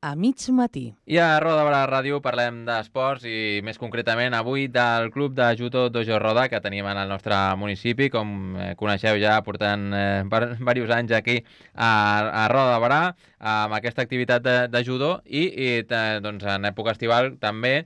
a mig matí. I a Roda de Barà Ràdio parlem d'esports i més concretament avui del Club de Judo Dojo Roda que tenim en el nostre municipi, com coneixeu ja portant diversos anys aquí a Roda de Barà amb aquesta activitat de judo i doncs en època estival també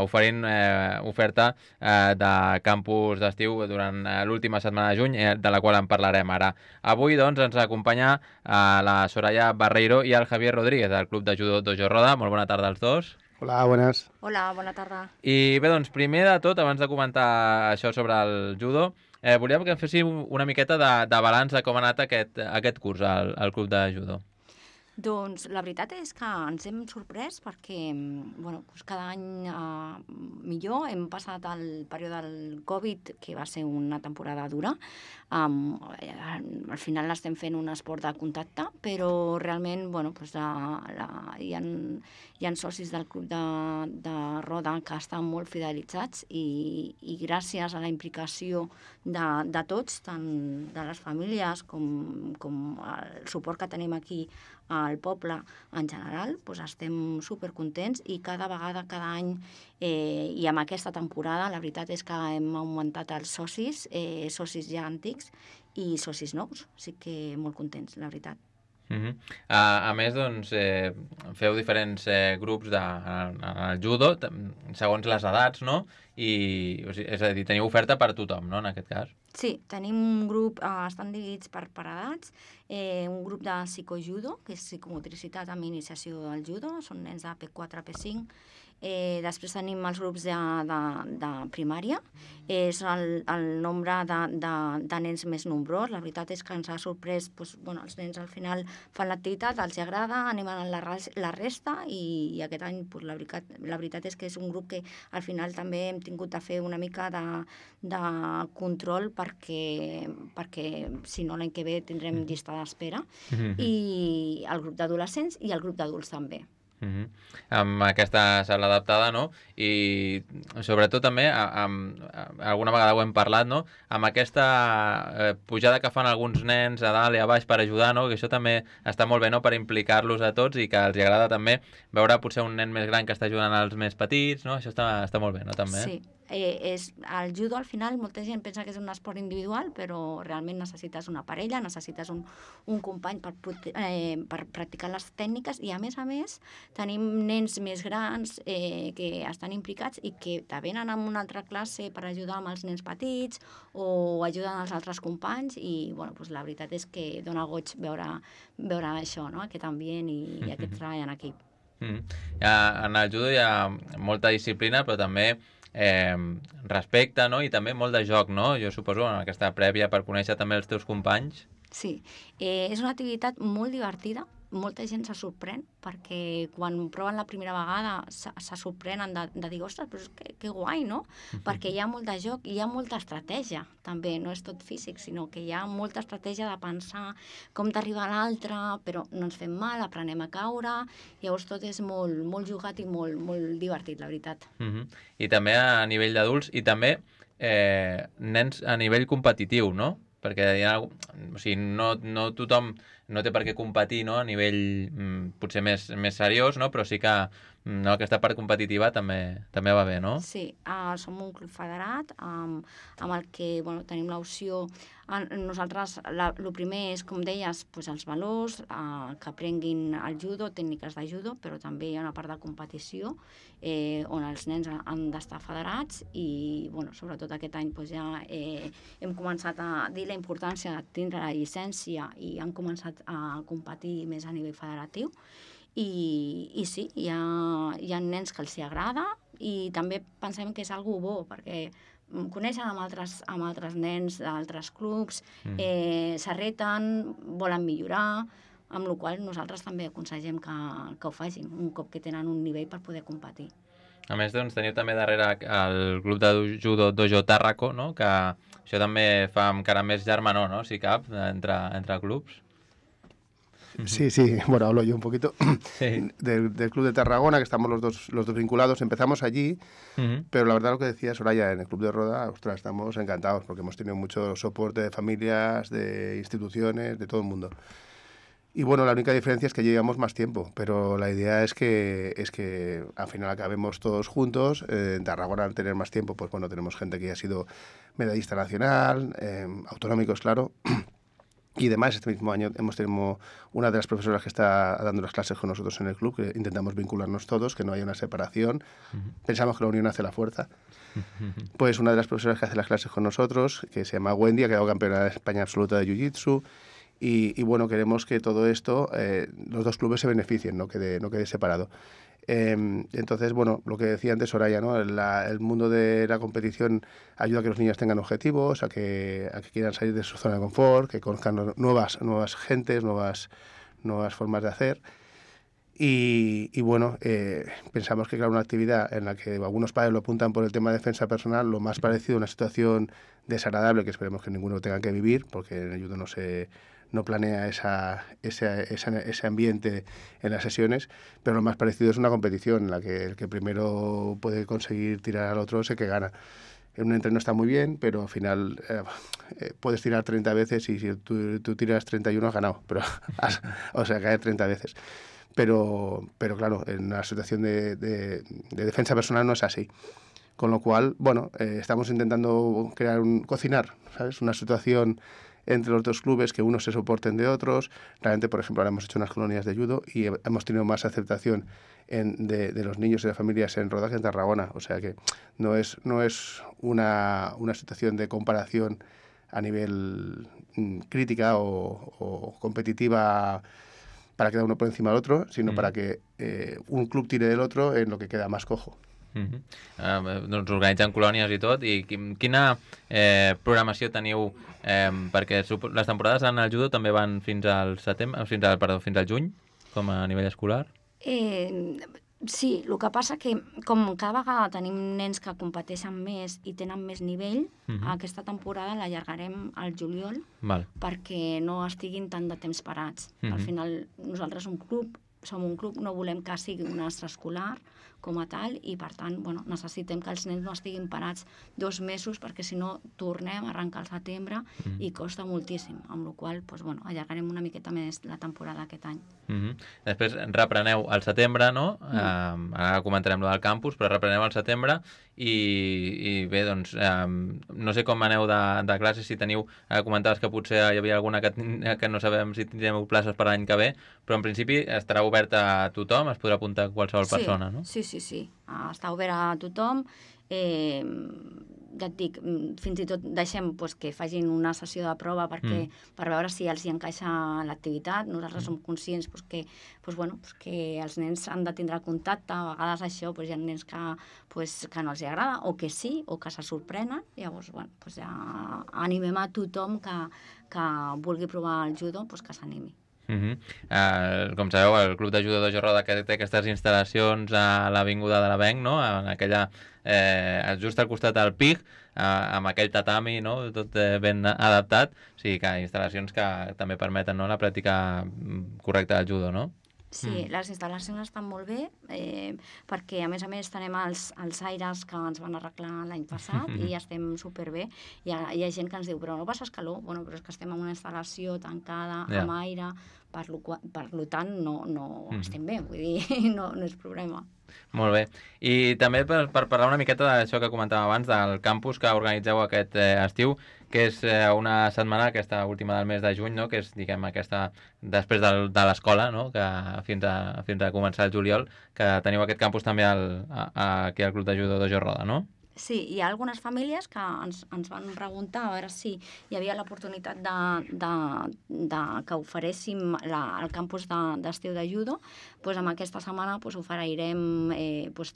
oferint oferta de campus d'estiu durant l'última setmana de juny, de la qual en parlarem ara. Avui doncs ens acompanya la Soraya Barreiro i el Javier Rodríguez del Club de Judo Dojo Roda. Molt bona tarda als dos. Hola, buenas. Hola, bona tarda. I bé, doncs primer de tot, abans de comentar això sobre el judo, volíem que féssiu una miqueta de balanç de com ha anat aquest curs al Club de Judo. Doncs la veritat és que ens hem sorprès perquè bueno, doncs cada any millor. Hem passat el període del Covid, que va ser una temporada dura. Al final l'estem fent un esport de contacte, però realment bueno, doncs hi ha socis del Club de Roda que estan molt fidelitzats i gràcies a la implicació de tots, tant de les famílies com el suport que tenim aquí al poble en general, doncs estem supercontents i cada vegada, cada any i amb aquesta temporada la veritat és que hem augmentat els socis, socis ja antics i socis nous, així que molt contents, la veritat. A més, doncs, feu diferents grups en el judo, segons les edats, no? O sigui, és a dir, teniu oferta per tothom, no?, en aquest cas. Sí, tenim un grup, estan dividits per edats, un grup de psicojudo, que és psicomotricitat amb iniciació al judo, són nens de P4, P5, després tenim els grups de primària, és el nombre de nens més nombrós. La veritat és que ens ha sorprès, doncs, bueno, els nens al final fan l'activitat, els agrada, animen la resta i aquest any doncs, la veritat és que és un grup que al final també hem tingut de fer una mica de control perquè si no l'any que ve tindrem llista d'espera, i el grup d'adolescents i el grup d'adults també. Amb aquesta sala adaptada, no? I sobretot també, alguna vegada ho hem parlat, no? Amb aquesta pujada que fan alguns nens a dalt i a baix per ajudar, no? Que això també està molt bé, no? Per implicar-los a tots i que els agrada també veure potser un nen més gran que està ajudant als més petits, no? Això està molt bé, no? També. Sí. El judo al final molta gent pensa que és un esport individual, però realment necessites una parella, necessites un company per practicar les tècniques i a més tenim nens més grans que estan implicats i que te venen a una altra classe per ajudar amb els nens petits o ajuden els altres companys i bueno, doncs la veritat és que dona goig veure això, no? Aquest ambient i aquest treball en equip. En el judo hi ha molta disciplina, però també respecte, no? I també molt de joc, no? Jo suposo, en aquesta prèvia per conèixer també els teus companys. Sí, és una activitat molt divertida, molta gent se sorprèn perquè quan proven la primera vegada se sorprenen de dir, ostres, però que guai, no? Perquè hi ha molt de joc i hi ha molta estratègia, també, no és tot físic, sinó que hi ha molta estratègia de pensar com t'arriba l'altre, però no ens fem mal, aprenem a caure, llavors tot és molt, molt jugat i molt, molt divertit, la veritat. I també a nivell d'adults i també nens a nivell competitiu, no? Perquè o sigui, no tothom no té per què competir, no? A nivell potser més seriós, no? Però sí que aquesta part competitiva també va bé, no? Sí, som un club federat amb el que bueno, tenim l'opció. Nosaltres, el primer és, com deies, doncs els valors, que aprenguin el judo, tècniques de judo, però també hi ha una part de competició on els nens han d'estar federats i, bueno, sobretot aquest any doncs ja hem començat a dir la importància de tindre la llicència i han començat a competir més a nivell federatiu. I sí, hi ha nens que els hi agrada i també pensem que és algo bo perquè coneixen amb altres nens d'altres clubs, s'arreten, volen millorar, amb la qual cosa nosaltres també aconsellem que ho facin un cop que tenen un nivell per poder competir. A més, doncs, teniu també darrere el club de judo Dojo Tàrraco, no? Que això també fa encara més germanor, no? Si cap, entre clubs. Sí, bueno, hablo yo un poquito del Club de Tarragona, que estamos los dos vinculados. Empezamos allí, pero la verdad lo que decía Soraya, en el Club de Roda, ostras, estamos encantados porque hemos tenido mucho soporte de familias, de instituciones, de todo el mundo. Y bueno, la única diferencia es que llevamos más tiempo, pero la idea es que al final acabemos todos juntos. En Tarragona, al tener más tiempo, pues bueno, tenemos gente que ya ha sido medallista nacional, autonómicos, claro. Y además, este mismo año hemos tenido una de las profesoras que está dando las clases con nosotros en el club, que intentamos vincularnos todos, que no haya una separación. Pensamos que la unión hace la fuerza. Pues una de las profesoras que hace las clases con nosotros, que se llama Wendy, ha quedado campeona de España absoluta de Jiu-Jitsu. Y bueno, queremos que todo esto, los dos clubes se beneficien, no quede separado. Entonces, bueno, lo que decía antes Soraya, ¿no? El mundo de la competición ayuda a que los niños tengan objetivos, a que quieran salir de su zona de confort, que conozcan nuevas gentes, nuevas formas de hacer. Y bueno, pensamos que claro, una actividad en la que algunos padres lo apuntan por el tema de defensa personal, lo más parecido a una situación desagradable que esperemos que ninguno tenga que vivir, porque en el judo no planea ese ambiente en las sesiones, pero lo más parecido es una competición en la que el que primero puede conseguir tirar al otro es el que gana. En un entreno está muy bien, pero al final puedes tirar 30 veces y si tú tiras 31 has ganado, pero o sea, caer 30 veces. Pero claro, en una situación de defensa personal no es así. Con lo cual, bueno, estamos intentando cocinar, ¿sabes? Una situación entre los dos clubes, que unos se soporten de otros. Realmente, por ejemplo, ahora hemos hecho unas colonias de judo y hemos tenido más aceptación de los niños y de las familias en Roda que en Tarragona. O sea que no es una situación de comparación a nivel crítica o competitiva para quedar uno por encima del otro, sino para que un club tire del otro en lo que queda más cojo. Doncs organitzen colònies i tot. I quina programació teniu? Perquè les temporades en el judo també van fins al fins al juny, com a nivell escolar? Sí, el que passa que com cada vegada tenim nens que competeixen més i tenen més nivell, aquesta temporada l'allargarem al juliol perquè no estiguin tant de temps parats. Al final nosaltres som un club, no volem que sigui un extraescolar com a tal i per tant necessitem que els nens no estiguin parats 2 mesos perquè si no tornem a arrencar al setembre i costa moltíssim, amb la qual cosa allargarem una miqueta més la temporada aquest any. Després repreneu al setembre, no? Ara comentarem lo del campus, però repreneu al setembre i bé, doncs no sé com aneu de classes, si teniu, comentaves que potser hi havia alguna que no sabem si tindrem places per l'any que ve, però en principi estarà obert a tothom, es podrà apuntar qualsevol persona, no? Sí, està obert a tothom. Ja et dic, fins i tot deixem que facin una sessió de prova per veure si els hi encaixa l'activitat. Nosaltres som conscients que els nens han de tindre contacte. A vegades això hi ha nens que no els agrada o que sí, o que se sorprenen. Llavors, ja animem a tothom que vulgui provar el judo, que s'animi. Com sabeu, el Club de Judo Dojo Roda, que té aquestes instal·lacions a l'Avinguda de l'Avenc, no? En aquella, just al costat del PIG, amb aquell tatami, no? Tot ben adaptat. O sigui que instal·lacions que també permeten la pràctica correcta del judo, no? Sí, les instal·lacions estan molt bé perquè a més tenem els aires que ens van arreglar l'any passat i estem superbé. Hi ha gent que ens diu, però no passes calor? Bueno, però és que estem en una instal·lació tancada, amb aire, per tant no estem bé, vull dir, no és problema. Molt bé. I també per parlar una miqueta d'això que comentàvem abans, del campus que organitzeu aquest estiu, que és una setmana, aquesta última del mes de juny, no? Que és, diguem, aquesta després de l'escola, no? Que fins a començar el juliol, que teniu aquest campus també aquí al Club de Judo Dojo Roda, no? Sí, hi ha algunes famílies que ens van preguntar a veure si hi havia l'oportunitat que oferéssim el campus d'estiu de judo. Amb aquesta setmana oferirem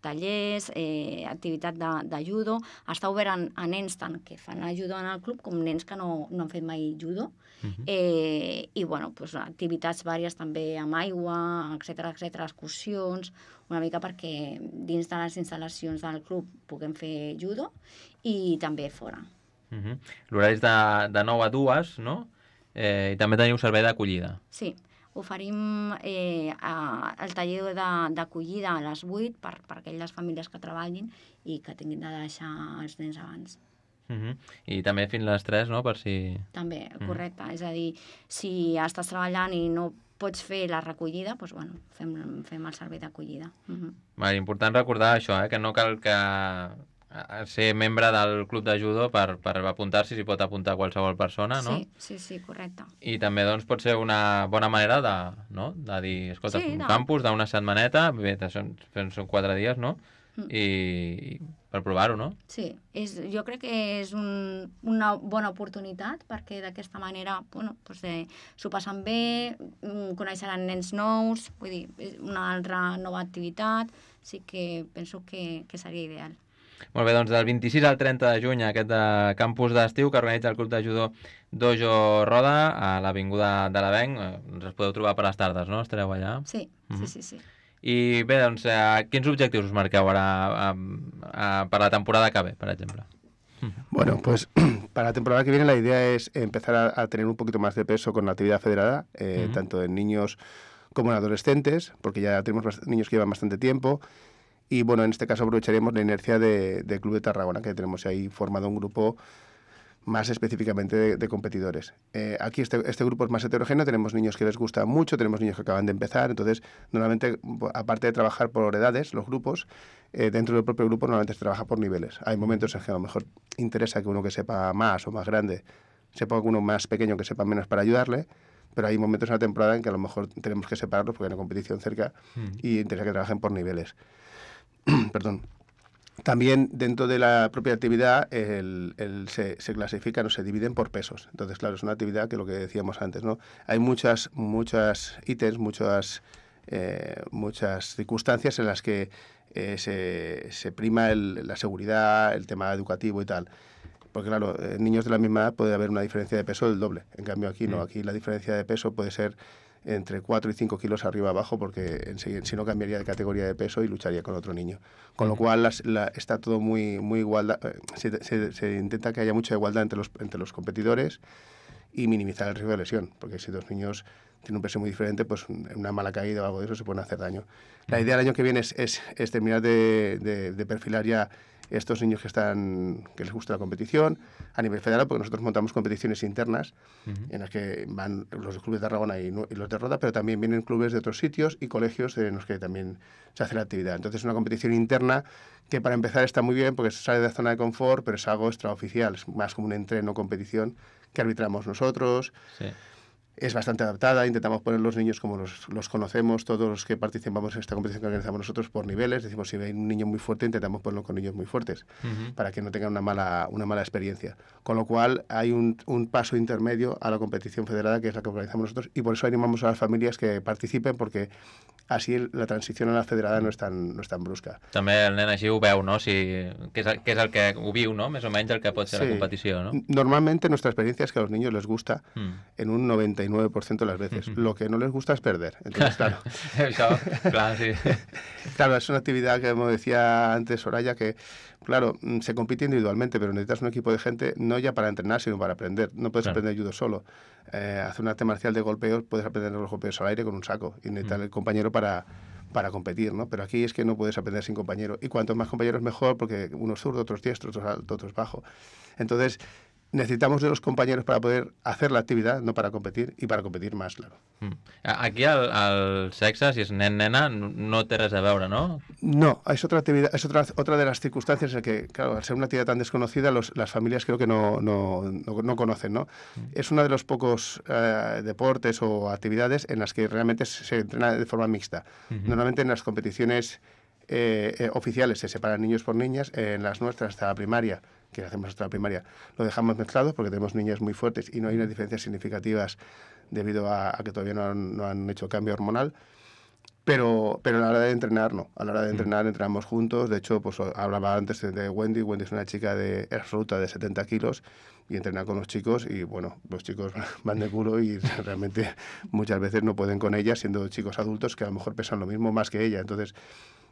tallers, activitat de judo. Està obert a nens tant que fan judo en el club com nens que no han fet mai judo. I activitats vàries també amb aigua, etcètera, excursions, una mica perquè dins de les instal·lacions del club puguem fer judo i també fora. L'horari és de 9 a 2, no? I també teniu servei d'acollida. Sí, oferim el taller d'acollida a les 8 per aquelles famílies que treballin i que tinguin de deixar els nens abans. I també fins les 3, no? Per si... També, correcte. És a dir, si estàs treballant i no pots fer la recollida, doncs, bueno, fem el servei d'acollida. Important recordar això, que no cal que ser membre del club de judo per apuntar-s'hi, s'hi pot apuntar qualsevol persona, no? Sí, correcte. I també doncs, pot ser una bona manera de dir, escolta, un campus d'una setmaneta, bé, són 4 dies, no? I per provar-ho, no? Sí, jo crec que és una bona oportunitat perquè d'aquesta manera s'ho passen bé, coneixeran nens nous, vull dir, una altra nova activitat, sí que penso que seria ideal. Molt bé, doncs del 26 al 30 de juny aquest campus d'estiu que organitza el Club de Judo Dojo Roda a l'Avinguda de l'Avenc, ens podeu trobar per les tardes, no? Estareu allà? Sí. I bé, doncs, quins objectius us marqueu ara per la temporada que ve, per ejemplo? Bueno, pues para la temporada que viene la idea es empezar a tener un poquito más de peso con la actividad federada, tanto en niños como en adolescentes, porque ya tenemos niños que llevan bastante tiempo. Y bueno, en este caso aprovecharemos la inercia del Club de Tarragona, que tenemos ahí formado un grupo más específicamente de competidores. Aquí este grupo es más heterogéneo, tenemos niños que les gusta mucho, tenemos niños que acaban de empezar, entonces normalmente, aparte de trabajar por edades, los grupos, dentro del propio grupo normalmente se trabaja por niveles. Hay momentos en que a lo mejor interesa que uno que sepa más o más grande sepa uno más pequeño que sepa menos para ayudarle, pero hay momentos en la temporada en que a lo mejor tenemos que separarlos porque hay una competición cerca y interesa que trabajen por niveles. Perdón. También dentro de la propia actividad se clasifican o se dividen por pesos. Entonces, claro, es una actividad que lo que decíamos antes, ¿no? Hay muchas ítems, muchas circunstancias en las que se prima la seguridad, el tema educativo y tal. Porque, claro, en niños de la misma edad puede haber una diferencia de peso del doble. En cambio, aquí no. Aquí la diferencia de peso puede ser entre 4 y 5 kilos arriba abajo, porque si no cambiaría de categoría de peso y lucharía con otro niño. Con lo cual está todo muy igual. Se intenta que haya mucha igualdad entre los competidores y minimizar el riesgo de lesión, porque si dos niños tienen un peso muy diferente, pues una mala caída o algo de eso se pueden hacer daño. La idea del año que viene es terminar de perfilar ya estos niños que les gusta la competición a nivel federal, porque nosotros montamos competiciones internas en las que van los clubes de Tarragona y los de Roda, pero también vienen clubes de otros sitios y colegios en los que también se hace la actividad. Entonces es una competición interna que para empezar está muy bien porque se sale de la zona de confort, pero es algo extraoficial, es más como un entreno competición que arbitramos nosotros. Sí. Es bastante adaptada, intentamos poner los niños como los conocemos, todos los que participamos en esta competición que organizamos nosotros por niveles. Decimos, si hay un niño muy fuerte, intentamos ponerlo con niños muy fuertes, para que no tengan una mala experiencia. Con lo cual, hay un paso intermedio a la competición federada, que es la que organizamos nosotros, y por eso animamos a las familias que participen, porque así la transición a la federada no es tan brusca. També el nen així ho veu, no? Què és el que ho viu, no? Més o menys el que pot ser la competició, no? Normalmente nuestra experiencia es que a los niños les gusta en un 99% de las veces. Lo que no les gusta es perder. Entonces, claro. Això, clar, sí. Claro, es una actividad que, como decía antes Soraya, que, claro, se compite individualmente, pero necesitas un equipo de gente no ya para entrenar, sino para aprender. No puedes aprender judo solo. Hacer un arte marcial de golpeos, puedes aprender los golpeos al aire con un saco y necesitar el compañero para competir, ¿no? Pero aquí es que no puedes aprender sin compañero. Y cuantos más compañeros mejor, porque uno es zurdo, otro es diestro, otro es alto, otro es bajo. Entonces, necesitamos de los compañeros para poder hacer la actividad, no para competir, y para competir más, claro. Aquí el sexe, si és nen-nena, no té res a veure, ¿no? No, es otra actividad, es otra de las circunstancias en que, claro, al ser una actividad tan desconocida, las familias creo que no conocen, ¿no? Es uno de los pocos deportes o actividades en las que realmente se entrena de forma mixta. Normalmente en las competiciones oficiales se separan niños por niñas, en las nuestras hasta la primaria, que hacemos hasta la primaria, lo dejamos mezclados porque tenemos niñas muy fuertes y no hay unas diferencias significativas debido a que todavía no han hecho cambio hormonal. Pero a la hora de entrenar, no. A la hora de entrenar, entrenamos juntos. De hecho, pues hablaba antes de Wendy. Wendy es una chica absoluta de 70 kilos y entrena con los chicos y, bueno, los chicos van de culo y realmente muchas veces no pueden con ella, siendo chicos adultos que a lo mejor pesan lo mismo más que ella. Entonces,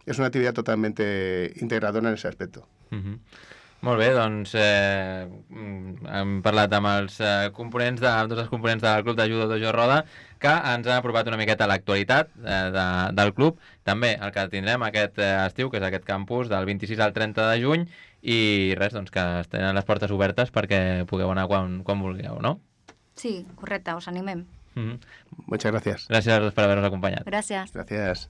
es una actividad totalmente integradora en ese aspecto. Molt bé, doncs hem parlat amb els components amb tots els components del Club de Judo Dojo Roda, que ens han apropat una miqueta a l'actualitat del club, també el que tindrem aquest estiu, que és aquest campus del 26 al 30 de juny, i res, doncs que tenen les portes obertes perquè pugueu anar quan vulgueu, no? Sí, correcte, us animem. Muchas gracias. Gràcies per haver-nos acompanyat. Gràcies. Gracias.